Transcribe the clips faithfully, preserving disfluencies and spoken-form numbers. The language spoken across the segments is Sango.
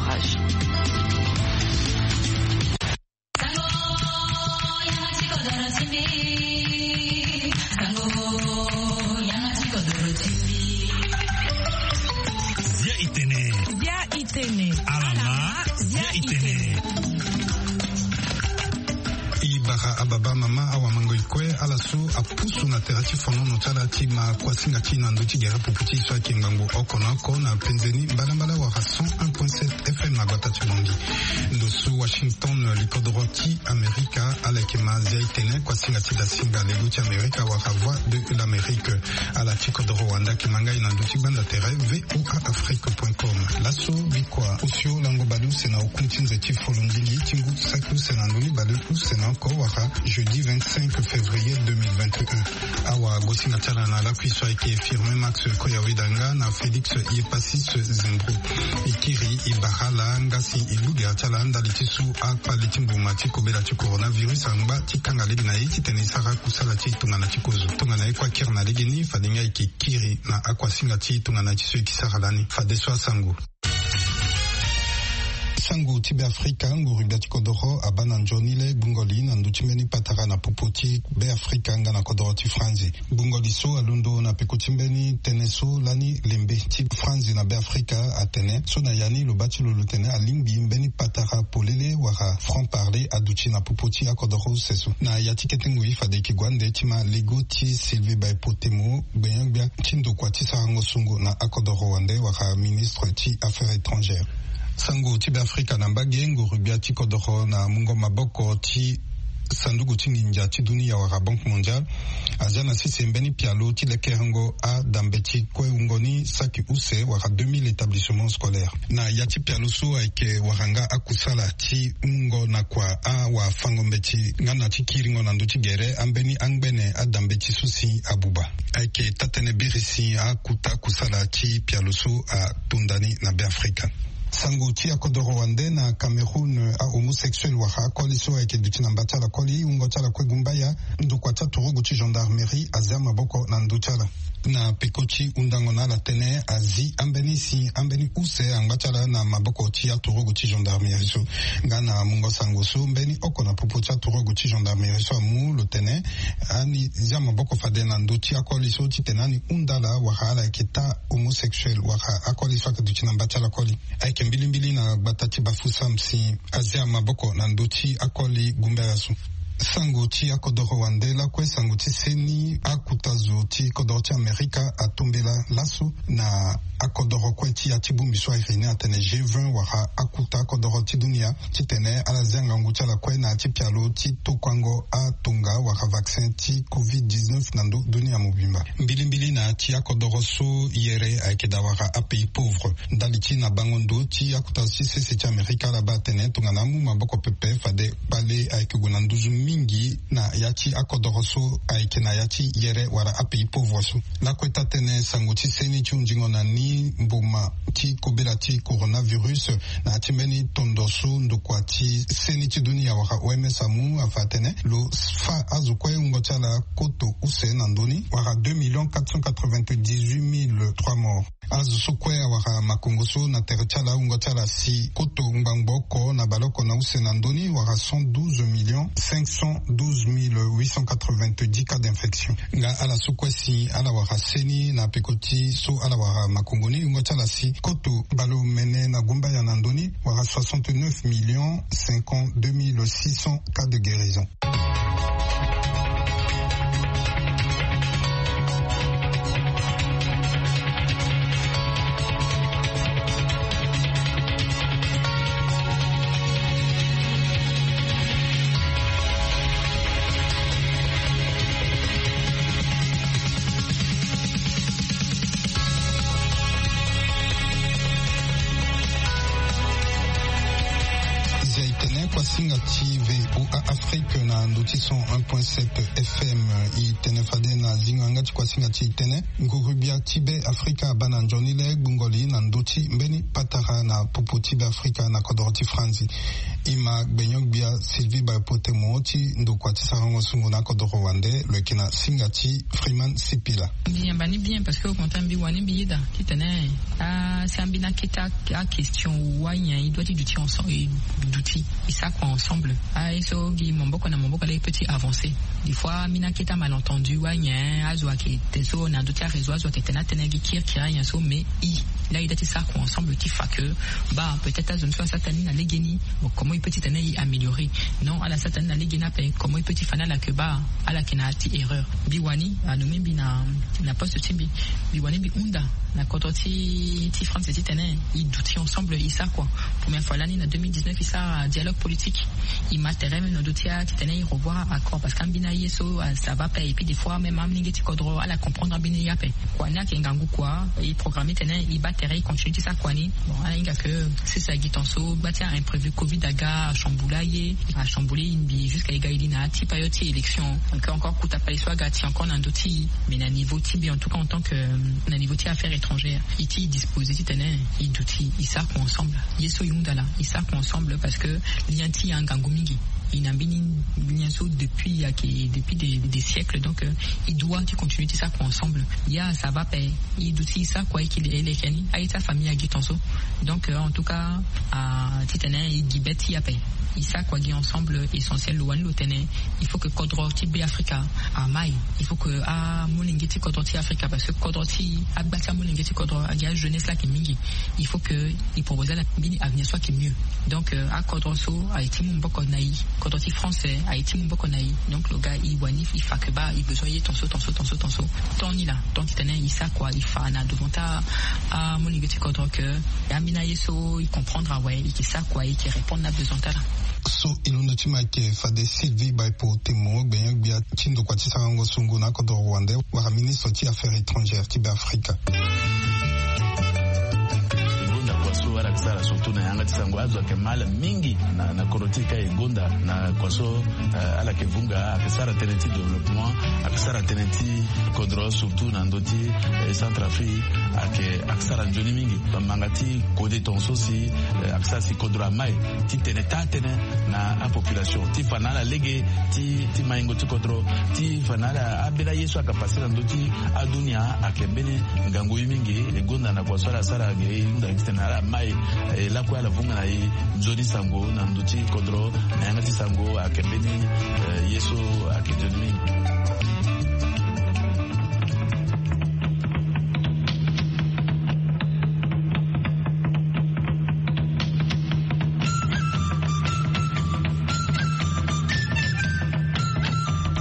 Zia itene. Zia itene. Alama. Zia itene. I bara ababa mama awa mango ikue ala so apusu na tere ti fonono ti ala ti ma kuasinga ti na ndö ti gere pupu ti so ayeke ngbangbo oko na oko na penzeni mbalambala wala cent un point sept F M na gbata ti Bongi. Ndo so Washington, likodoro ti Amerika, ala yeke ma zia itene kuasinga ti dasinga lego ti Amerika wala Voix de l'Amérique. Ala ti kodoro wande ayeke ma ngai na ndö ti gbanda tere V O A Afrique point com. Laso bikua osio lango baleuse na oku ti nze ti folongingi ti ngu saki use na ndoni baleuse na oko wala jeudi vingt-cinq février deux mille vingt et un. Awa gosinga ti ala na lakui so ayeke Firmin Max Koyawedanga na Félix Yepasis Zembro. E kiri e bara ala nga si e gbu gere ti ala ndali ti su akpale ti mbuma ti kobela ti coronavirus angba ti kanga lege na e titene e sara kusala ti tongana ti kozo. Tongana e kue akiri na legeni fade nga e yeke kiri na akuasinga ti tongana ti so e yeke sara lani. Fadeso asango. Sango ti Beafrika, nguru gbia ti kodoro abaa na nzoni le gbungo li na ndö ti mbeni patara na popo ti Beafrika nga na kodoro ti Franzi. Gbungo li so alondo na peko ti mbeni tënë so lani lembe ti Franzi na Beafrika atene so na ya ni lo baa ti lo lo tene alingbi mbeni patara polele wala franc parler aduti na popo ti akodoro use so. Na ya ti kete ngoi fade e yeke gue ande ti ma lego ti Sylvie Baepotemo, gbenyo-gbia ti ndokua ti sarango sungo na akodoro wande wala ministre ti Affaires étrangères. Sango ti Beafrika na mbage, nguru gbia ti kodoro na mungo maboko ti sanduku ti nginza ti dunia wala Banque Mondiale azia na sese mbeni pialo ti lekerengo adambe ti kue wungo ni saki use wala deux mille établissements scolaires. Na ya ti pialo so ayeke wara nga akusala ti wungo na kua awafango-mbeti nga na ti kiringo na ndö ti gere ambeni angbene adambe ti so si abuba. Ayeke taa-tënë biri si akuta kusala ti pialo so atonda ni na Beafrika. Sango ti akodoro wande na Cameroun, ahomosexuel wala akoli so ayeke duti na mba ti ala koli wungo ti ala kue gumbaya, ndokua ti aturugu ti gendarmerie azia maboko na ndö ti ala. Na peko ti hundango na ala tënë azi ambeni si ambeni use angba ti ala na maboko ti aturugu ti gendarmerie so. Nga na mungo sango so mbeni oko na popo ti aturugu ti gendarmerie so amu lo tene ani zia maboko fade na ndö ti akoli so titene ani hunda ala wala ala yeke taa homosexuel wala akoli so ayeke duti na mba ti ala koli. Ayeke mbilimbili na gbata ti Bafoussam si azia maboko na ndö ti akoli gumbaya so. Sango ti akodoro wande lakue sango ti seni akuta zo ti kodoro ti Amerika atombela laso na akodoro kue ti ya ti bongbi so ayeke ni atene G vingt wala akuta akodoro ti dunia titene ala zia ngangu ti ala kue na ya ti pialo ti tokuango atonga wala vaccin ti covid dix-neuf na ndö dunia mobimba. Mbilimbili na ya ti akodoro so yere ayeke daa wala apays pauvres. Ndali ti na bango ndo ti akuta zo ti sese ti Amerika ala baa atene tongana amu maboko pepe fade kpale ayeke gue na nduzu mingi na ya ti akodoro so ayeke na ya ti yere wala apays pauvres so. Lakue taa-tënë sango ti seni ti hunzingo na ni mboma ti kobela ti coronavirus na ya ti mbeni tondo so ndokua ti seni ti dunia wala O M S amu afa atene lo fâ azo kue wungo ti ala koto use na ndö ni wala deux millions quatre cent quatre-vingt-dix-huit mille trois morts. Azo so kue awara makongo so na tere ti ala wungo ti ala si koto ngbangbo oko na baleoko na use na ndö ni wala cent douze millions cinq cent douze mille huit cent quatre-vingt-dix cas d'infection. Nga ala so kue si ala wara seni na peko ti so ala wara makongo ni wungo ti ala si koto baleomene na gumbaya na ndö ni wala soixante-neuf millions cinquante-deux mille six cents cas de guérison. Zia itene Kuasinga ti VOA Afrique na ndo ti cent un point sept FM. I tene fade na zingo yanga ti kuasinga ti tene, nguru-gbia ti Be Afrika abaa na nzoni le gbungo li na ndo ti mbeni patara na popo ti Be Afrika na kodoro ti Franzi. I ma gbenyo-gbia Sylvie Baipotemo ti ndokua ti sarango sungu na kodoro wande, lo yeke na singa ti Freeman Sipila. Mbi yamba ni bien parce que au contraire mbi wani mbi yeda titene, ah, si ambi na keta a question ou anyen, i doit ti duti ensemble, i duti, i sa kua ensemble. Ah, i so gi maboko na maboko la i peut ti avancer. Des fois ambi na keta malentendu ou anyen, azo ayeke te so na ndo ti aréseau azo ayeke tene atene gi kirikiri anyen so, mais i la i doit ti sa kua ensemble ti fa que, bah, peut-être azo ni so asara tani na legeni, bon, comment i peut ti tene i améliorer? Non, ala sara tani na legeni ape, comment i peut ti fa na ala que, bah, ala yeke na ti erreur? Mbi wani anomme mbi na na poste ti mbi, mbi wani mbi hunda na kodro ti ti France titene i duti ensemble i sa kua. Première fois lani na deux mille dix-neuf i sara dialogue politique, i ma tere même na ndo ti a titene i revoir accord parce que ambi na ye so, ah, ça va pas. Et puis des fois même amolenge ti kodro ala comprendre ambi na ye ape. Kua ni ayeke ngangu kua, i programme titene i baa tere i continue ti sa kua ni. Bon, ala hinga que sese agi tonso gba ti a imprévu covid aga achambula ye, achambula ye mbi jusqu'à i ga i li na ya ti période ti élection. Donc encore kuta pali so aga ti encore na ndo ti i. Mais na niveau ti mbi en tout cas en tant que, euh, na niveau ti affaires étrangères, i ti disposer titene i duti i sa kua ensemble. Ye so i hunda la i sa kua ensemble parce que lien ti i angangu mingi. I na mbeni lien so depuis ayeke depuis des, des siècles, donc, euh, i doit ti continuer ti sa kua ensemble. Ya ça va pe i duti i sa kua i ki le leke ni aye ti afamille agi tonso. Donc, euh, en tout cas, ah, titene i gi be ti i ape, i sa kua gi ensemble. Essentiel lo wani lo tene, il faut que kodro ti Be Afrika amai. Il faut que amolenge ti kodro ti Afrika, parce que kodro ti agba ti amolenge ti kodro agi ajeunesse la ayeke mingi. Il faut que i proposer ala mbeni avenir so ayeke mieux. Donc, euh, akodro so aye ti mu maboko na i, kodro ti France aye ti mu maboko na i. Donc lo ga i wani i fa que bah i besoin ye tonso tonso tonso tonso. Temps ni la, temps titene i sa kua i fa na devant ti amolenge ti kodro que ambi na ye so i comprendre awe, i ke sa kua i ke répondre na besoin ti ala. So i londo ti ma ayeke fade Sylvie Baipotemo, gbenyo-gbia ti ndokua ti sarango sungu na akodro rwandais wala ministre ti affaires étrangères ti Be Afrika. Gonda kua so ala yeke sara surtout na yanga ti sango azo ayeke mal mingi na, na kodro ti e ka e gonda na kua so, eh, ala yeke vunga, ayeke sara tënë ti développement, ayeke sara tënë ti kodro surtout na ndö ti, eh, Centrafrique, ayeke, ayeke sara nzoni mingi. Bamanga ti kode tongaso si, eh, ayeke sara si kodro amai ti tene taa tënë na apopulation ti fa na ala lege ti, ti maingo ti kodro, ti fa na ala ambeni aye so ayeke pase na ndö ti adunia ayeke mbeni ngangu ye mingi. E gonda na kua so ala sara ge e hunda titene ala mai, eh, lakue ala vunga na e nzoni sango na ndö ti kodro na yanga ti sango ayeke mbeni, eh, ye so ayeke nzoni mingi.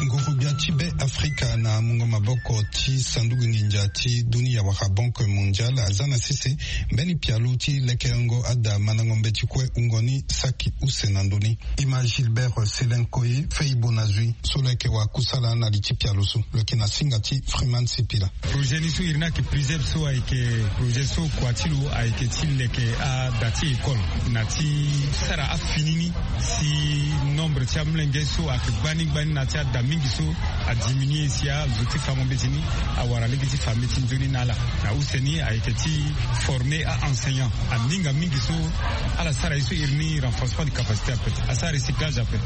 Nguru-gbia ti Be Afrika na mungo maboko ti sanduku nginza ti dunia wala Banque Mondiale aza na sese mbeni pialo ti lekerengo ada mandango mbeti kue wungo ni saki use na ndö ni. E ma Gilbert Selenkoye Feibo na zui so lo yeke wa kusala na li ti pialo so, lo yeke na singa ti Freeman Sipila. Projet ni so iri ni ayeke plusieurs so ayeke projet so kua ti lo ayeke ti leke ada ti école na ti sara afini ni si nombre ti amolenge so ayeke gbani gbani na ti ada mingi so adiminué si azo ti fango mbeti ni awara lege ti fa mbeti nzoni na ala. Na use ni ayeke ti former a-enseignant. Aninga mingi so ala sara ye so iri ni renforcement de capacité ape, asara recyclage ape.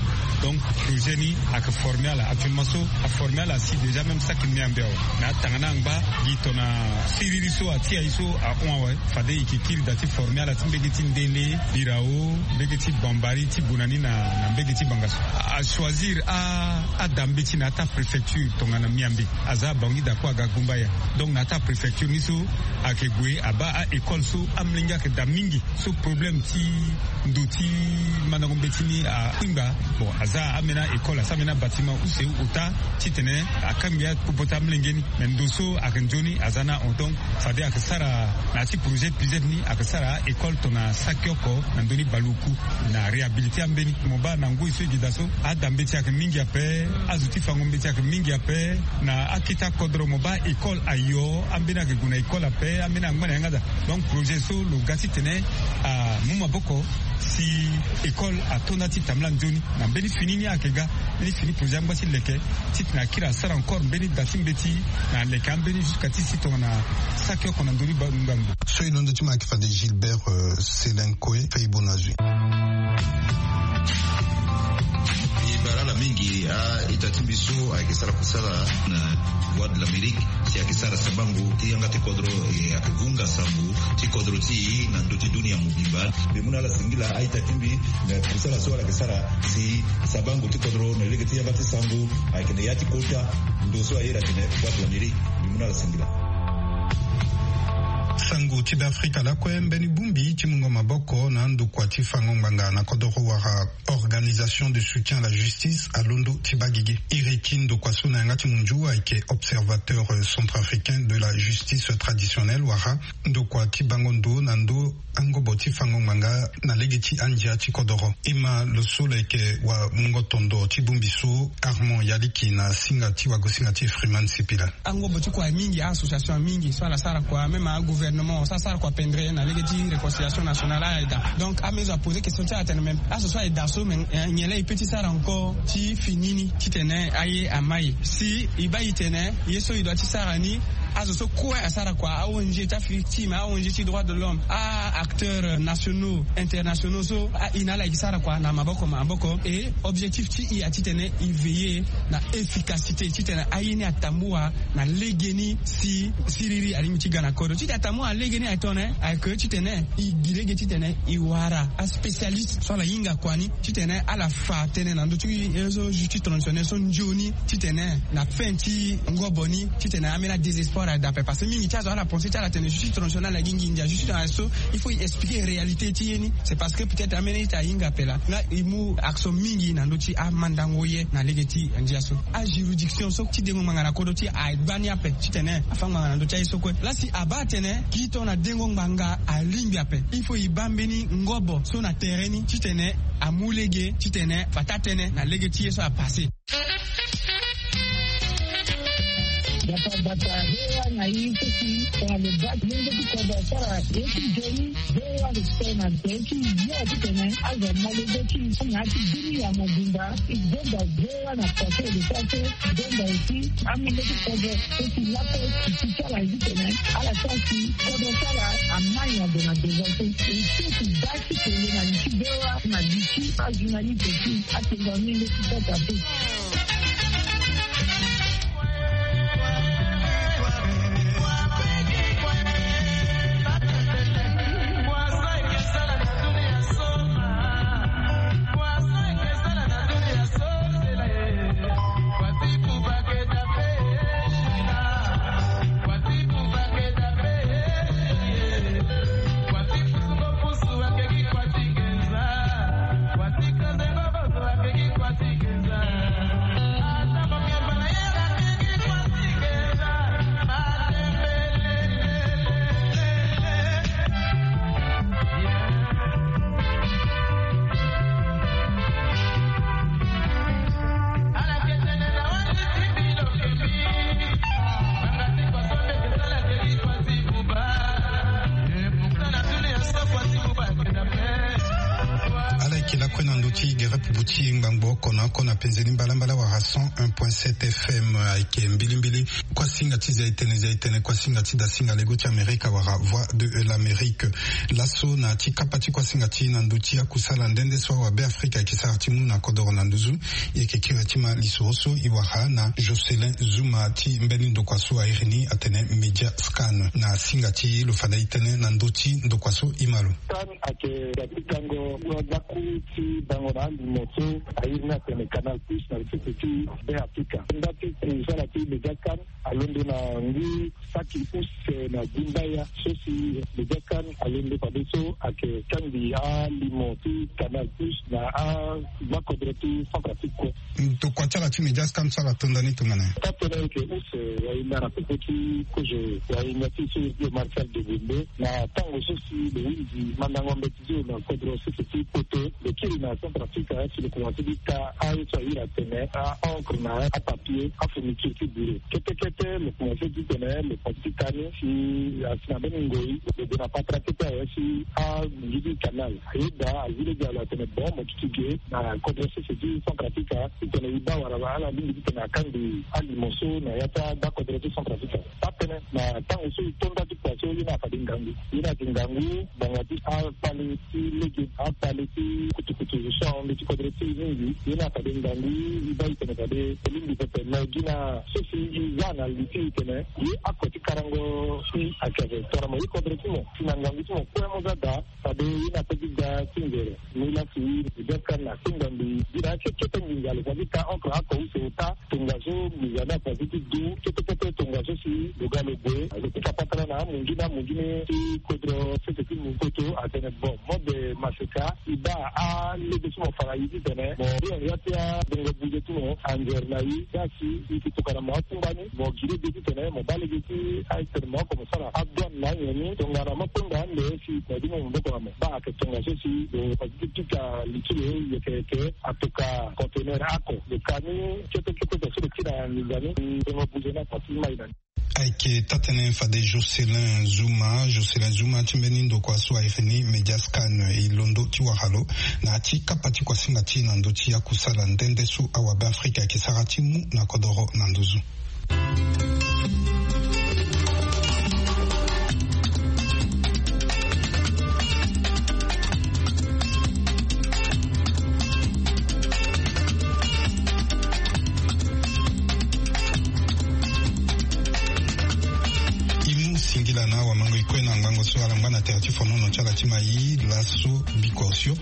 Donc projet ni ayeke former ala actuellement so, aformer ala si déjà même saki miambe awe. Mais atanga ni angba gi tongana siriri so atia ye so ahon awe. Fade e ke kiri da ti former ala ti mbege ti ndele, birao, mbege ti bambari ti buna ni na, na mbege ti banga so. Achoisir a, ada mbeti na ata préfecture tongana miambe. Aza abangui da kue aga gumba ya. Donc na ata préfecture ni so ayeke gue abaa a-école so amolenge ayeke da mingi so problème ti ndo ti mandango mbeti ni akpingba. Bon, aza ambeni a-école, asara mbeni abâtiment use ota titene akangbi apopo ti amolenge ni. Mais ndo so ayeke nzoni aza ni ahon. Donc fade ayeke sara na ya ti projet plusieurs ni ayeke sara a-école tongana saki oko na ndö ni baleoku na réhabilité ambeni. Mo baa na ngoi so e gi da so ada mbeti ayeke mingi ape, azo ti fango mbeti ayeke mingi ape. Na akete akodro mo baa école ayo, ambeni ayeke gue na école ape, ambeni angba na yanga daa. Donc projet so lo ga titene amu maboko Si école atonda ti tambula nzoni na mbeni fini ni ayeke ga, mbeni fini projet angba ti leke, titene akiri asara encore mbeni da ti mbeti na leke ambeni jusqu'à ti si tongana saki oko na ndoni ngbangbo. So e londo ti ma ayeke fade Gilbert, euh, Selenkoe, Feibo na zui. E baa ala mingi a-ita ti mbi so ayeke sara kusala na Voix de l'Amérique, si ayeke sara sabango ti yanga ti kodro, e ayeke vunga sango ti kodro ti e na ndö ti dunia mobimba. Mbi mu na ala singila a-ita ti mbi na kusala so ala yeke sara si sabango ti kodro na lege ti yanga ti sango ayeke na ya ti kota ndo so a iri atene Voix de l'Amérique. Mbi mu na ala singila. Sango ti Beafrika lakue, mbeni bongbi ti mungo maboko na andokua ti fango ngbanga na kodoro wala Organisation de soutien à la justice alondo ti baa gigi. Iri ti ndokua so na yanga ti munzu ayeke Observateur, euh, centrafricain de la justice traditionnelle, wala ndokua ti bango ndo na ndo angobo ti fango ngbanga na lege ti andia ti kodoro. E ma lo so lo yeke wamungo tondo ti bongbi so, Armand Yaliki, na singa ti wagosinga ti Freeman Sipila. Angobo ti kua mingi, a-association mingi so ala sara kua, même agouvernement so asara kua pendre na lege ti réconciliation nationale, ala daa. Donc ame so aposer question ti ala atene, mais aso so aye daa so, mais, eh, nyen laa e peut ti sara encore ti fini ni titene aye amai? Si e baa e tene ye so e doit ti sara ni, azo so kue asara kua, a-O N G ti afi ti, mais a-O N G ti droit de l'homme, a-acteurs nationaux, internationaux so, a, e na ala e ke sara kua na maboko maboko. E objectif ti e atitene e veiller na efficacité titene aye ni atambua na legeni si siriri alingbi ti ga na kodro. Titene atambua na legeni, atene ayeke titene e gi lege titene e wara aspécialiste so ala hinga kua ni titene ala fa tënë na ndö ti ye so justice traditionnelle so nzoni, titene na fin ti ngobo ni titene ambeni adésespoir aye daa ape. Parce que mingi ti azo ala pense ti ala atene justice traditionnelle agi nginza, justice traditionnelle so il faut e expliquer réalité ti ye ni. C'est parce que peut-être ambeni ita ahinga ape laa. Nga e mu action mingi na ndö ti amandango ye na lege ti ndia so. Ajuridiction so ti dengo ngbanga na kodro ti e agbani ape titene afa ngbanga na ndö ti aye so kue. Laa si abaa atene gi tongana dengo ngbanga alingbi ape, il faut e baa mbeni ngobo so na terrain ni titene amu lege titene fata tënë na lege ti ye so apasse. Bata bata, V O A na i ti si tongana lo baa ti lenge ti kodro asara ye ti nzoni, V O A respect na nzoni ti yo titene azo amolenge ti i na ya ti dunia mobimba. I zonza V O A na porte de santé, i zonza aussi amolenge ti kodro so si lape ti ti ti ala ye titene ala sara si kodro ti ala amai na ndo na devant so. E so ti baa ti kele na li ti V O A na li ti ajournaliste ti atengo amolenge ti kota so. Ala yeke lakue na ndö ti gere pupu ti ngbangbo oko na oko na penzeni mbalambala wala cent un point sept F M. Ayeke mbilimbili kuasinga ti zia-etene, zia-etene kuasinga ti dasinga lego ti Amerika wala Voix de l'Amérique. Laso na ya ti kapa ti kuasinga ti na ndö ti akusala nde nde so awabe Afrika ayeke sara ti mu na kodoro na nduzu. E yeke kiri ti ma lisoro so e wara na Jocelyn Zuma ti mbeni ndokua so a iri ni atene Media Scan. Na singa ti lo fa na e tënë na ndö ti ndokua so e ma lo. Scan ayeke da ti tango wazaku ti bango na alimo so a iri ni atene Canal Plus na sese ti Be Afrika. Nda ti kusala ti Media Scan alondo na ngu saki use na gumbaya so si Media Scan alondo fadeso ayeke kangbi alimo ti Canal Plus na amakodro ti Centrafrique kue. Tokua ti ala ti Media Scan so ala to nda ni tongana nyen? Taa tënë ayeke use wayinda na popo ti kozo wayinda ti so iri ti Marcel Degonde na tango so si lo hunzi mandango mbeti ti lo na kodro sese ti Poto, lo kiri Na Centrafrique si lo komanse ti ta aye so ahiri atene a-encre na apapier, afourniture ti bureau kete kete. Lo komanse titene lo komanse ti ta ni si asi na mbeni ngoi lo gue na patara kete awe si amongi ti canal. Ayeda azi lege alo atene bon mo duti ge na kodro sese ti Centrafrique titene e baa wala ala lingbi titene akangbi alimo so na ya ti agbakodro ti Centrafrique. Atene na tango so e to nda ti kua so ye ni afade ngangu. Ye ni ayeke ngangu ngbanga ti akpale ti lege, akpale ti kutukutu so ahon ndö ti kodro ti e mingi. Ye ni afade ngangu e baa e tene fade e lingbi pepe. Me gi na so si e za na li ti e tene ye ako ti karango si ayeke ape tongana mo ye kodro ti mo si na ngangu ti mo kue mo za daa. Fade ye ni ape ti da ti nzere. Ni lasi e biaskani na asenga mbi gi na akekete nginza lo fa ti ta encre oko use ota. Tongaso nginza ni afa ti ti du kete kete tongaso si lo ga lo gue lo pika patara na amungi na amungi ni ti kodro sese ti mu koto atene bon mode maseka e baa alege ti mo fa na ye titene mo ri na ya ti abongo buze ti mo anzere na ye. Ga si e yeke tokana mo akungba ni mo gi lege titene mo baa lege ti atene mo oko mo sara adouane na anyen ni tongana mo kpengba ande si na ye ti mo maboko na mo. Baa ayeke tongaso si lo fa ti ti pika li ti lo yeke yeke atoka conteneur ako lo ka ni kete kete so lo ti na nginza ni. Ndongo buze ni afa ti mai na ni. Ayeke taa-tënë fade Jocelyn Zuma. Jocelyn Zuma ti mbeni ndokua so ayeke ni Mediascan e londo ti wara lo na ya ti kapa ti kuasinga ti e na ndö ti akusala nde nde so awabe Afrika ayeke sara ti mu na kodoro na nduzu. E mu singila na awamango e kue na ngango so ala ngba na tere ti fonono ti ala ti mai laso biko osio.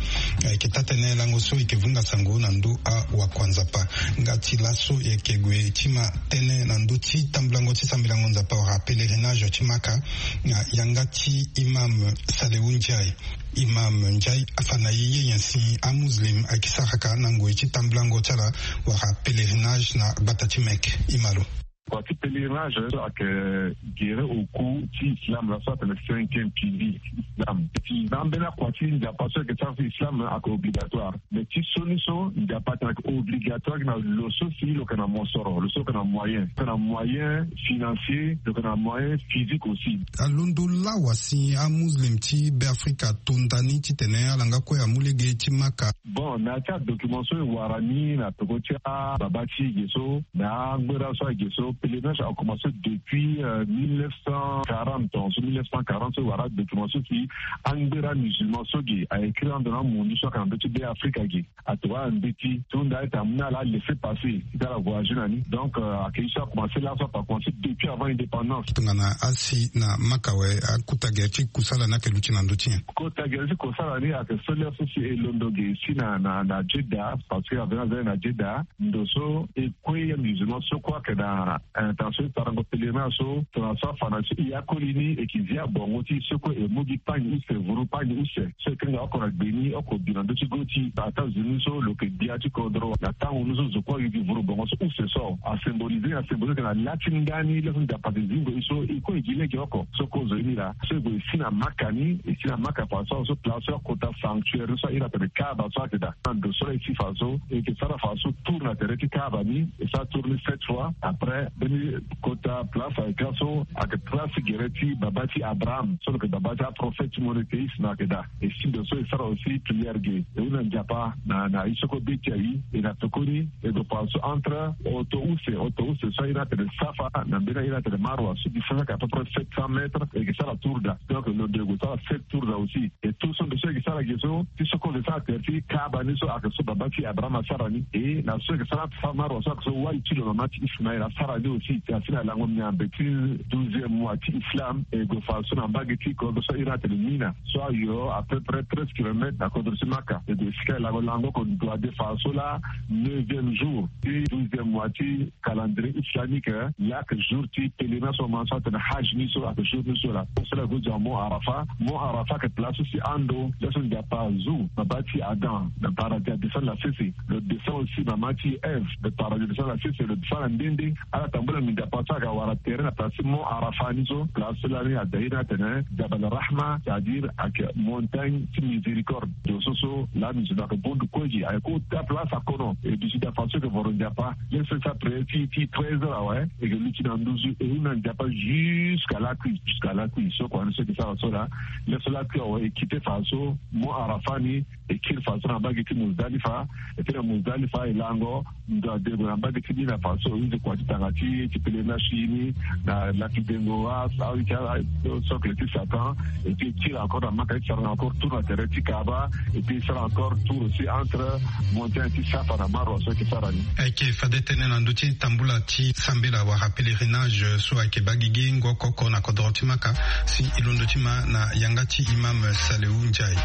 Ayeke taa-tënë lango so e yeke vunga sango na ndö awakuanzapa. Nga ti laso e yeke gue ti ma tënë na ndö ti tambulango ti sambelango nzapa wala pèlerinage ti Maka na yanga ti Imam Salehu Ndiaye. Imam Ndiaye afa na e ye nyen si amuslim ayeke sara ka na ngoi ti tambulango ti ala wala pèlerinage na gbata ti Mecque. E ma lo. Kua ti pèlerinage so ayeke gere oku ti islam, laso atene cinquième pilier ti islam. Ti na ambeni akua ti nzapa so ayeke sara ti islam ayeke obligatoire. Mais ti sioni so nzapa atene ayeke obligatoire gi na lo so si lo yeke na mosoro, lo so lo yeke na moyen, lo yeke na moyen financier, lo yeke na moyen physique aussi. Alondo lawa si amuslim ti Beafrika ato nda ni titene ala nga kue amu lege ti Maka. Bon, na ya ti adocument so e wara ni na peko ti ababa ti e ge so, na angbera so ayeke ge so, pèlerinage a commencé depuis euh, mille neuf cent quarante, en mille neuf cent quarante so e wara adocument so si angbera musulman so ge a écrit ando na amundu so ayeke na ndö ti Beafrika ge. Atongana mbeti ti hunda ayeke amu na ala laisser passer ti ala voyager na ni. Donc euh, ayeke ye so a commencé laso, a commencé depuis avant indépendance. Tongana asi na Maka awe, akota gere ti kusala ni ayeke luti na ndö ti nyen? Kota gere ti kusala ni ayeke so lê so si e londo ge si na na na Jeddah, parce que avena zani na Jeddah ndo so e kue ya musulman so kue ayeke na intention ti parango pèlerinage so, tongana so afa na so e akoli ni e yeke zi abongo ti so kue e mu gi pagne use, vuru pagne use so e kanga oko na gbe ni oko bi na ndö ti go ti États-Unis so lo yeke gbia ti kodro na tango ni so zo kue ayeke gi vuru bongo so use so a symbolisé, a symbolisé na la ti ndani lê so nzapa ayeke zi ngoi so e kue e gi lege oko so kue zo ye ni laa. So e gue e si na Maka ni, e si na Maka fa so, so place so akota sanctuaire ni so a iri atene Kaaba so ayeke daa. Na ndo so la e si fa so e yeke sara fa so tour na tere ti Kaaba ni, e sara tour ni sept fois. Après mbeni kota place ayeke ga so ayeke place gere ti baba ti Abraham so lo yeke baba ti aprophète monothéiste na ayeke daa. E si ndo so e sara aussi prière ge, e hunda Nzapa na na ye so kue be ti aye. E na pekoni e gue fa so entre oto use, oto use so a iri atene Safa na mbeni a iri atene Marwa so distance ayeke à peu près sept cents mètres, e yeke sara tour daa. Donc lo ndo e gue sara sept tour daa aussi. E tour so ndo so e yeke sara ge so ti so kue lo sara tere ti Kaaba ni so ayeke so baba ti Abraham asara ni. E na so e yeke sara Safa Marwa so ayeke so wali ti lo mama ti Ismaël asara ni aussi. E asi na lango miambe ti douzième mois ti Islam, e gue fa so na mbage ti kodro so a iri atene Mina so ayo à peu près treize kilomètres na kodro ti Maka. E gue e si ka e lango lango oko ndo ade fa so laa neuvième jour ti douzième mois ti calendrier islamique, laa ayeke jour ti pèlerinage so aman so atene Hajj ni so ayeke jour ni so laa. So laa e gue zo na Mont Arafat. Mont Arafat ayeke place so si ando lê so Nzapa azu na Papa ti Adam na paradis adescendre na sese, lo descend aussi mama ti Ève na paradis adescendre na sese, lo descendre na nde nde. Ala tambula na Nzapa so ayeke wara terrain na place ti Mont Arafat ni so, place so lani adaire ni atene Jabal Rahma, c'est-à-dire ayeke montagne ti miséricorde. Zo so so lani zo na yeke bondu kue gi ayeke kota place akono. Et duti da façon yeke voro Nzapa, laisse sa prière ti ti treize heures awe, e yeke luti na nduzu e hunda Nzapa jusqu'à lakui, jusqu'à lakui. So kua ni so e yeke sara so laa, laisse lakui awe e kite fa so Mont Arafat ni, e kiri fa so na mbage ti Muzdalifa. E kiri na Muzdalifa e lango ndo adego na mbage ti ni na fa so e hunzi kua ti tanga ti ti pèlerinage ti e ni na laki dengo. A awe ti ala socle ti Satan. Et puis e tire encore na Maka, e tire encore tour na terrain ti Kaaba. Et puis e sara encore tour aussi entre montagne ti Safa na Marwa so e yeke sara ni. Ayeke fade tënë na ndö ti tambula ti sambela wala pèlerinage so ayeke baa gigi ngu oko oko na kodoro ti Maka. Si e londo ti ma na yanga ti imam Salehu Ndiaye.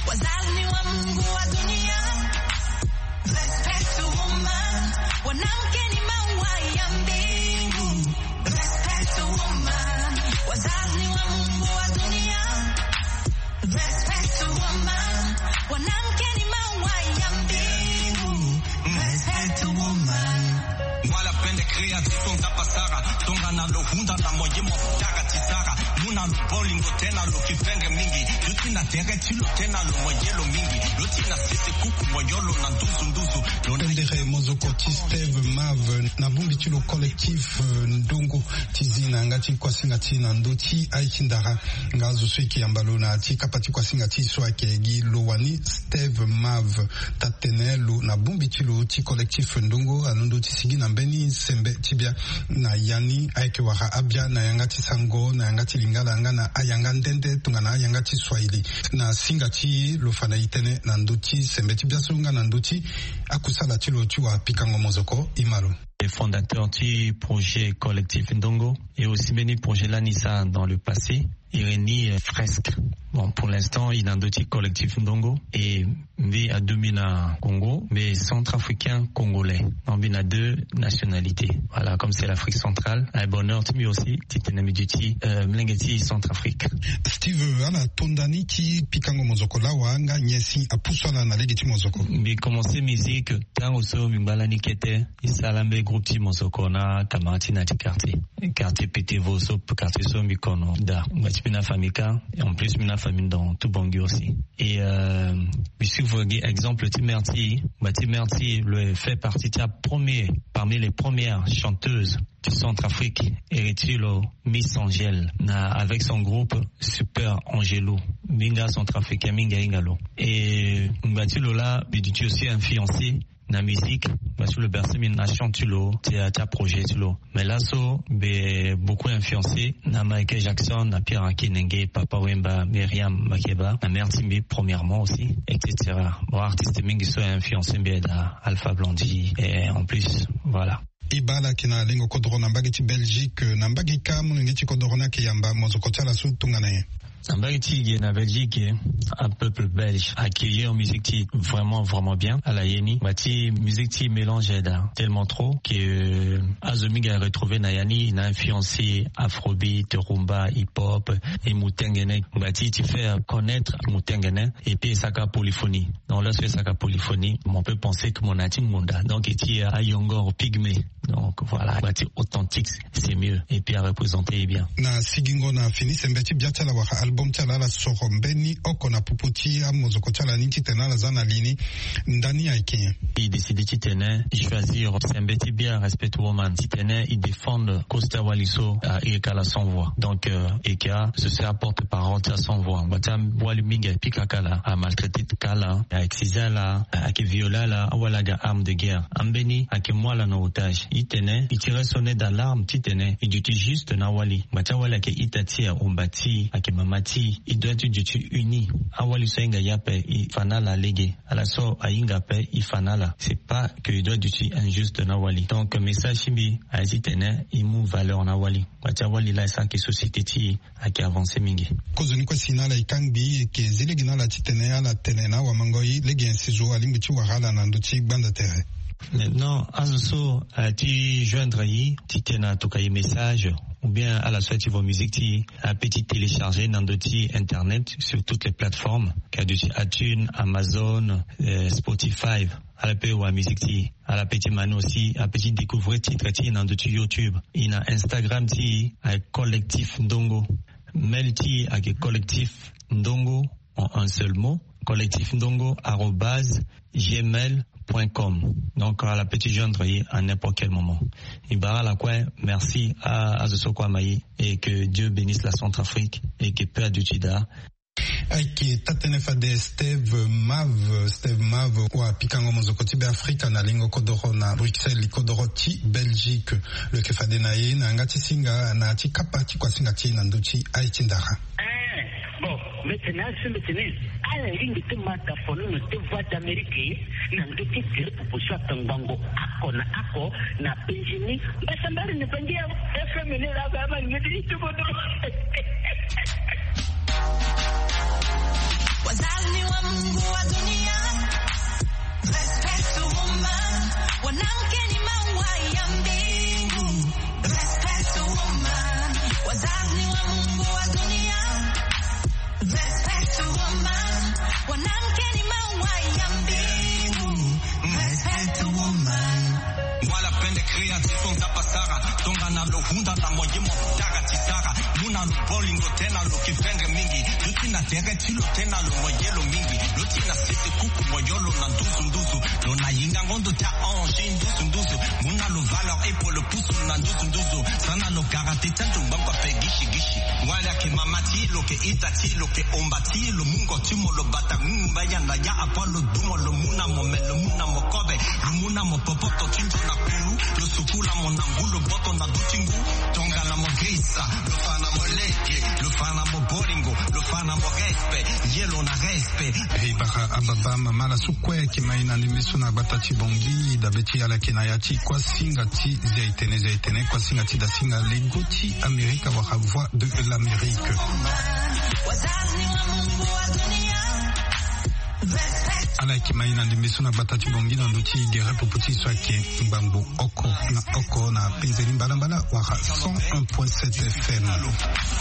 Wazalni wa Mungu wa dunia, respect to woman. Mwanamke ni maua ya mbingu, respect to woman. Wazalni wa Mungu wa dunia, respect to woman. Mwanamke ni maua ya mbingu, respect to woman. Wala pende créatif so Nzapa sara, tonga na lo hunda na moye mo tara ti sara. Mu na lo bolingo tena lo kifenge mingi. Lo ti na tere ti lo tena lo moye lo mingi. Lo ti na sese kuku moyo lo na nduzu nduzu. Lo na pendere mozoko ti Steve Mave na bongbi ti lo collectif, euh, ndongo ti zi na yanga ti kuasinga ti na ndö ti aye ti ndara. Nga azo so e yeke yamba lo na ti kapa ti kuasinga ti e so ayeke gi lo wani Steve Mave. Taa tene lo na bongbi ti lo ti collectif ndongo alondo ti sigi na mbeni sembe ti bia na ya ni ayeke wara abia na yanga ti sango na yanga ti Lingala nga na ayanga nde nde tongana ayanga ti Swahili. Na singa ti e lo fa na e tënë na ndö ti sembe ti bia so nga na ndö ti akusala ti lo ti wara pikango mozoko. E ma lo. Le fondateur du projet collectif Ndongo et aussi mbeni projet lani sa dans le passé, Irénie, euh, Fresque. Bon, pour l'instant, il est dans le collectif Ndongo et mbi adomi na Congo, mais centrafricain congolais. Donc, mbi na deux nationalités. Voilà, comme c'est l'Afrique centrale, un bonheur ti mbi aussi, ti tene mbi duti, euh, mlenge ti Centrafrique. Steve, ala tonda ni ti pikango mozoko lawa nga nyen si apusu ala na lege ti mozoko? Mbi commencé musique tango so mbi ngba lani kete. E sara mbeni groupe ti mozoko na camarade ti na ti quartier. Quartier Petevo so, quartier so mbi kono daa. Ngba ti mbi na famille ka, et en plus mbi na famille dans tout Bangui aussi. Et, euh, mbi suivre gi exemple ti mère ti e. Ngba ti mère ti e lo fait partie ti apremier, parmi les premières chanteuses du Centrafrique, iri ti lo Miss Angèle, na avec son groupe Super Angelo. Mbi nga centrafricain, mbi nga hinga lo. Et ngba ti lo laa mbi duti aussi influencé na musique, parce que lo bercé mbi na chant ti lo, ti, ti aprojet ti lo. Mais laso mbi beaucoup influencé na Michael Jackson, na Pierre Akinenge, Papa Wemba, Myriam Makeba, na mère ti mbi premièrement aussi, et cetera. Bon, artiste mingi so influencé mbi daa, Alpha Blondy, et en plus, voilà. E baa ala yeke na lengo kodoro na mbage ti Belgique, na mbage ka molenge ti kodoro ni ayeke yamba mozoko ti ala so tongana nyen? Na mbage ti e ge na Belgique, un peuple belge accueillir musique ti vraiment, vraiment bien. Ala ye ni, ngba ti musique ti mélange daa tellement trop que, euh, azo mingi aretrouver na ya ni, na influencé afrobeat, rumba, hip-hop, et mutengene. Ngba ti, ti faire connaître mutengene, et puis e saka polyphonie. Donc, lorsque e saka polyphonie, on peut penser que mo na ti ngonda. Donc, e ti ayongor pygmée. Donc, voilà, ngba ti authentique, c'est mieux. Et puis, à représenter bien. Na sigingo na fini sembe ti bia ti ala wala album ti ala, ala soro mbeni oko na popo ti amozoko ti ala ni titene ala za na li ni. Ndani ayeke nyen? E décide titene e choisir sembe ti bia Respect Woman titene e défendre cause ti awali so, ah, e yeke ala sans voix. Donc, euh, e yeke a, ce sera porte-parole ti a sans voix. Ngba ti awali mingi apika kala, amaltraité kala, a excise ala, ayeke violé ala, awali aga arme de guerre. Ambeni ayeke mu ala na otage. Titene e tire sonnet d'alarme titene e duti juste na awali. Ngbanga ti awali ayeke ita ti e, ahomba ti e, ayeke mama ti e. E doit ti duti uni. Awali so ahinga ye ape, e fa na ala lege. Ala so ahinga ape, e fa na ala. C'est pas que e doit duti injuste na awali. Donc message ti mbi aye titene e mu valeur na awali. Ngbanga ti awali laa e sara ayeke société ti e ayeke avancé mingi. Kozoni kue si na ala e kangbi, e yeke zi lege na ala titene ala tene na awamangoi lege nyen si zo alingbi ti wara ala na ndö ti gbanda tere. Maintenant azo so aye ti joindre e titene atokua e message, ou bien ala so aye ti vo musique ti e, ape ti télécharger na ndö ti internet sur toutes les plateformes, ka duti iTunes, Amazon, euh, Spotify. Ala pe wara musique ti e. Ala pe ti ma ni aussi, ape ti découvrir titre ti e na ndö ti YouTube. E na Instagram ti e aye Collectif Ndongo. Mail ti e ayeke Collectif Ndongo en un seul mot, collectif ndongo arobase gmail point com. Donc ala pe ti joindre e à n'importe quel moment. E bara ala kue, merci à azo so kue ama e. Et que Dieu bénisse la Centrafrique et que paix aduti daa. Ayeke taa-tënë fade Steve Mave. Steve Mave, wa pikango mozoko ti Beafrika na lingo kodoro na Bruxelles, kodoro ti Belgique. Lo yeke fade na e na yanga ti singa na ya ti kapa ti kuasinga ti e na ndö ti aye ti ndara. Eh, bon, mbi tene aso mbi tene ala lingbi ti ma tafonono ti Voix d'Amérique na ndö ti tere popo so atongbango oko na oko na penzi ni. Mbasambari ni bangi ya F M ni la ba ma ngedi ti bodo. Wazalni wa Mungu wa dunia. Respect to woman. Wanamke ni maua ya mbingu. Respect to woman. Wazalni wa Mungu wa dunia. Respect to woman. Wanamke ni maua ya mbingu. Respect to woman. Ngwala pende créatif on tapa sara. Tongana lo hunda na mo ye mo dara ti dara. Mu na lo bolingo tena lo kipendre mingi. Lo ti na tere ti lo tena lo mo ye lo mingi. Lo ti na sese kuku mo yo lo na nduzu nduzu. Lo na yingango ndo ti ange nduzu nduzu. Mu na lo valeur epo lo pusu na nduzu nduzu. Sana lo kara ti tento ngbangba pe gisi gisi. Wala ke mama ti lo ke ita ti lo ke omba ti lo mungo ti mo lo bata ngumba ya na ya apa lo dumo lo mu na mo me lo mu na mo kobe. Lo mu na mo popoto ti nzo na kulu. Lo sukula mo na ngu lo boto na du ti ngu. Tongana mo grisa. Lo fa na mo lege. Lo fa na mo bolingo. Lo fa na mo respect. Ye lo na respect. Hey, bara ababa mama la su kue ki mai na ndimbi so na gbata ti Bongi, dabe ti ala ki na ya ti kuasinga ti Zi a-itene, Zi a-itene, kuasinga ti dasinga lengo ti Amerika wala Voix de l'Amérique. Ala yeke ma e na ndembe so na gbata ti Bongi na ndö ti gere popo ti e so ayeke ngbangbo oko na oko na penze ni mbalambala wala cent un point sept F M.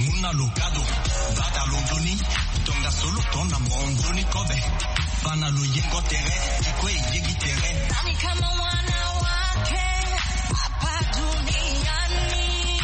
Mu na lo gado, bata lo nzoni, tongaso lo to na mo nzoni kobe. Fa na lo yengo tere, e kue e yegi tere. Nani kama wanawake hapa duniani?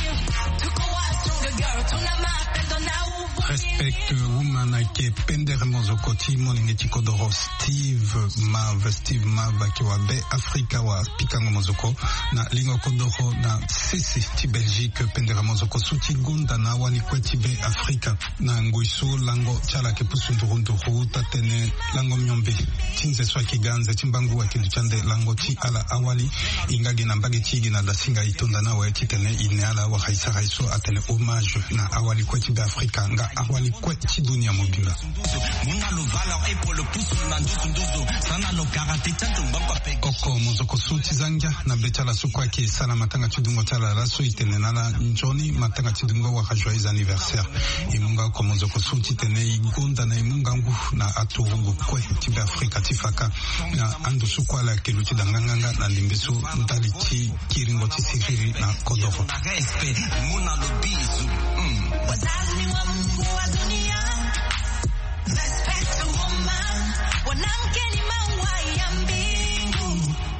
Tuko wapi, girl? Tuna mapendo na uvu. Respect Woman ayeke pendere mozoko ti molenge ti kodoro Steve Mave. Steve Mave ayeke wa Be Afrika, wa pikango mozoko na lingo kodoro na sese ti Belgique. Pendere mozoko so ti gonda na awali kue ti Be Afrika. Na ngoi so lango ti ala ayeke pusu nduru nduru, taa-tënë lango miombe ti nze so ayeke ga nze ti mbangu ayeke duti ande lango ti ala awali. E nga gi na mbage ti e gi na dasinga e tonda na awe titene e ne ala wala e sara e so atene hommage na awali kue ti Be Afrika nga awali kue ti dunia mobimba. Oko mozoko so ti zangia na be ti ala so kue ayeke sara matanga ti dungo ti ala laso, e tene na ala nzoni matanga ti dungo wala joyeux anniversaire. E mu nga oko mozoko so titene e gonda na e mu ngangu na aturugu kue ti Be Afrika ti fa ka na ando so kue ala yeke luti da nganganga na ndembe so ndali ti kiringo ti siriri na kodoro. Respect to woman, wanamke ni maua ya mbingu.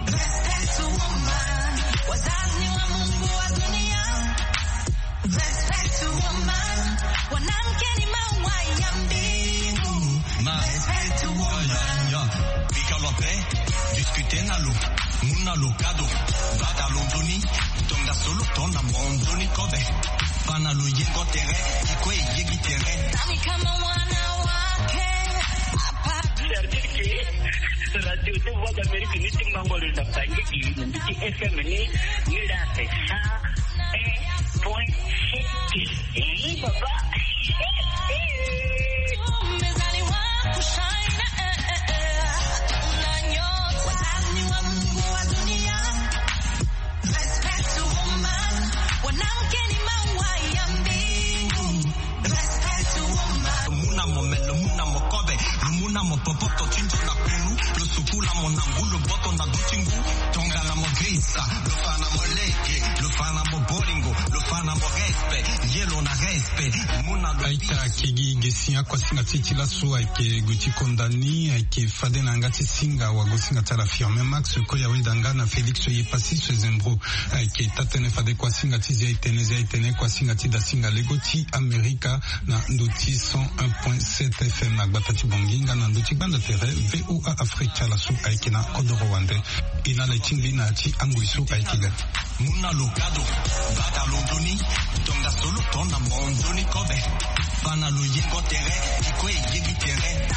Respect to woman, wazalni wa Mungu wa dunia. Respect to woman, wanamke ni maua ya mbingu. Respect to woman. Bika lo pe discuter na lo, mu na lo kado, bata lo nzoni, tongaso lo to na mo nzoni kobe. Fa na lo yengo tere, e kue e yegi tere. Nani kama wanawake hapa. Radio de Voix d'Amérique ni ti mango lo na bangi di ni ti F M ni ni la te sa. Point. Ih, papa. Muna mo melo, muna mo kobe, muna mo popoto, tinjo na pelu, lo sukula mo na ngu, lo boto na dutingu, tonga na mo grisa, lo fana mo leke, lo fana mo bolingo, lo fana mo respect, yelo na respect, muna lo. Aita kegi gesi akuasinga ti ti laso ayeke gue ti konda ni ayeke fade na yanga ti singa wagosinga ti ala Firmin Max, koya weda nga na Félix Yepasi Sezembro. Ayeke taa-tënë fade kuasinga ti zia etene zia etene kuasinga ti dasinga lego ti Amerika na ndo ti cent un point sept F M na gbata ti Bongi nga na ndo ti gbanda tere V O A Afrika laso ayeke na kodoro wande. E na le ti ngbi na ya ti angoi so ayeke ga. Muna lo kado, bata lo nzoni, tongaso lo to na mo nzoni kobe. Fana lo yengo tere, ti kue e yegi tere.